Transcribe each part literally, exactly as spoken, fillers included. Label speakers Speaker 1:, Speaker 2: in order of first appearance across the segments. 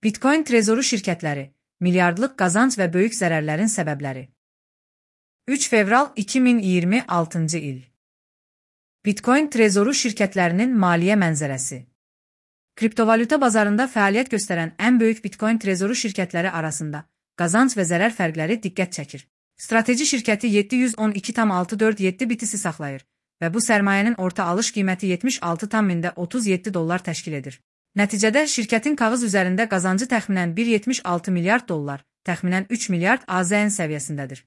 Speaker 1: Bitcoin trezoru şirkətləri, milyardlıq qazanc və böyük zərərlərin səbəbləri. üç fevral iki min iyirmi altıncı il. Bitcoin trezoru şirkətlərinin maliyyə mənzərəsi. Kriptovalyuta bazarında fəaliyyət göstərən ən böyük Bitcoin trezoru şirkətləri arasında qazanc və zərər fərqləri diqqət çəkir. Strateji şirkəti yeddi yüz on iki tam altı dörd yeddi bitisi saxlayır və bu sərmayənin orta alış qiyməti yetmiş altı tam otuz yeddi dollar təşkil edir. Nəticədə şirkətin kağız üzərində qazancı təxminən bir yetmiş altı milyard dollar, təxminən üç milyard A Z N səviyyəsindədir.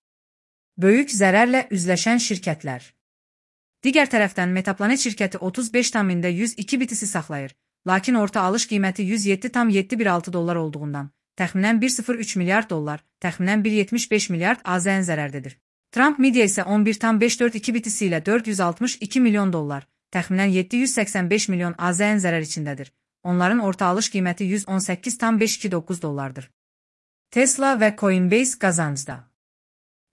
Speaker 1: Böyük zərərlə üzləşən şirkətlər. Digər tərəfdən Metaplanet şirkəti otuz beş tam yüz iki bitisi saxlayır, lakin orta alış qiyməti yüz yeddi tam yeddi bir altı dollar olduğundan, təxminən bir sıfır üç milyard dollar, təxminən bir yetmiş beş milyard A Z N zərərdedir. Trump Media isə on bir tam beş dörd iki bitisi ilə dörd yüz altmış iki milyon dollar, təxminən yeddi yüz səksən beş milyon A Z N zərər içindədir. Onların orta alış qiyməti yüz on səkkiz tam beş iki doqquz dollardır. Tesla və Coinbase qazancda.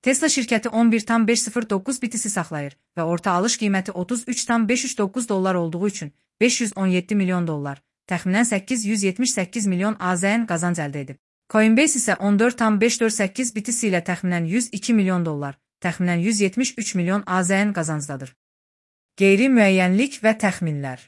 Speaker 1: Tesla şirkəti on bir tam beş sıfır doqquz bitisi saxlayır və orta alış qiyməti otuz üç tam beş üç doqquz dollar olduğu üçün beş yüz on yeddi milyon dollar, təxminən səkkiz yüz yetmiş səkkiz milyon A Z N qazanc əldə edib. Coinbase isə on dörd tam beş dörd səkkiz bitisi ilə təxminən yüz iki milyon dollar, təxminən yüz yetmiş üç milyon A Z N qazancdadır. Qeyri-müəyyənlik və təxminlər.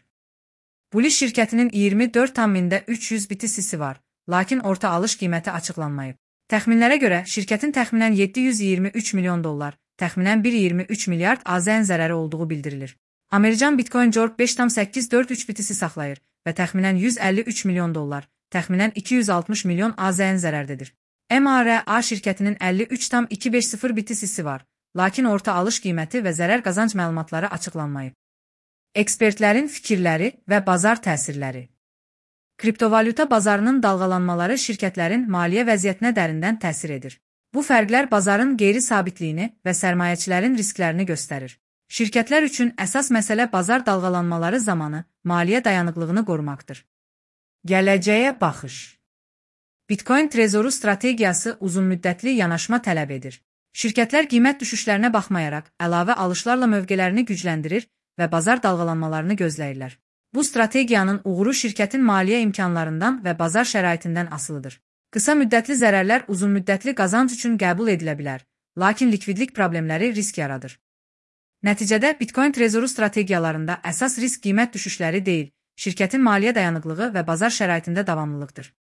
Speaker 1: Bullish şirkətinin iyirmi dörd tam üç yüz bitisisi var, lakin orta alış qiyməti açıqlanmayıb. Təxminlərə görə şirkətin təxminən yeddi yüz iyirmi üç milyon dollar, təxminən bir iyirmi üç milyard A Z N zərəri olduğu bildirilir. American Bitcoin Corp beş tam səkkiz dörd üç bitisi saxlayır və təxminən yüz əlli üç milyon dollar, təxminən iki yüz altmış milyon A Z N zərərdedir. M A R A şirkətinin əlli üç tam iki beş sıfır bitisisi var, lakin orta alış qiyməti və zərər qazanc məlumatları açıqlanmayıb. Ekspertlərin fikirləri və bazar təsirləri. Kriptovalyuta bazarının dalğalanmaları şirkətlərin maliyyə vəziyyətinə dərindən təsir edir. Bu fərqlər bazarın qeyri-sabitliyini və sərmayəçilərin risklərini göstərir. Şirkətlər üçün əsas məsələ bazar dalğalanmaları zamanı maliyyə dayanıqlığını qorumaqdır. Gələcəyə baxış. Bitcoin trezoru strategiyası uzunmüddətli yanaşma tələb edir. Şirkətlər qiymət düşüşlərinə baxmayaraq əlavə alışlarla mövqelərini gücləndirir və bazar dalğalanmalarını gözləyirlər. Bu strategiyanın uğuru şirkətin maliyyə imkanlarından və bazar şəraitindən asılıdır. Qısa müddətli zərərlər uzunmüddətli qazanc üçün qəbul edilə bilər, lakin likvidlik problemləri risk yaradır. Nəticədə Bitcoin trezoru strategiyalarında əsas risk qiymət düşüşləri deyil, şirkətin maliyyə dayanıqlığı və bazar şəraitində davamlılıqdır.